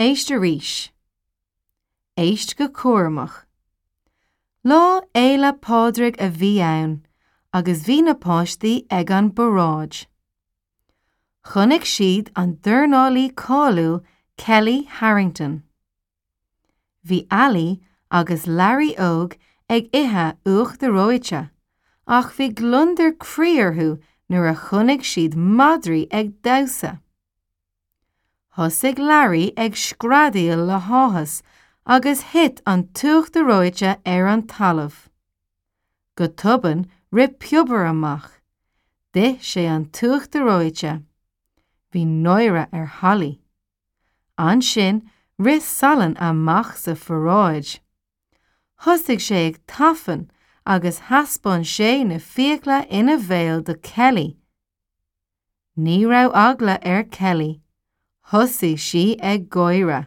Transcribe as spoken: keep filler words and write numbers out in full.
Éist arís. Éist go cúramach. Lá Fhéile Pádraig a bhí ann agus bhí na páistí ag an bparáid. Chonaic siad an dornálaí cáiliúil Kelly Harrington. Bhí Ali agus Larry Óg ag ithe uachtar reoite, ach bhí gliondar croí orthu nuair a chonaic siad madraí ag damhsa. Thosaigh Larry ag screadaíl le háthas agus thit an t-uachtar reoite ar an talamh. Go tobann rith piobar amach, D'ith sé an t-uachtar reoite. Bhí náire ar Holly. Ansin rith salann amach sa pharáid. Thosaigh sé ag tafann agus thaispeáin sé na fiacla ina bhéal do Kelly. Ní raibh eagla ar Kelly. Thosaigh sí ag gáire.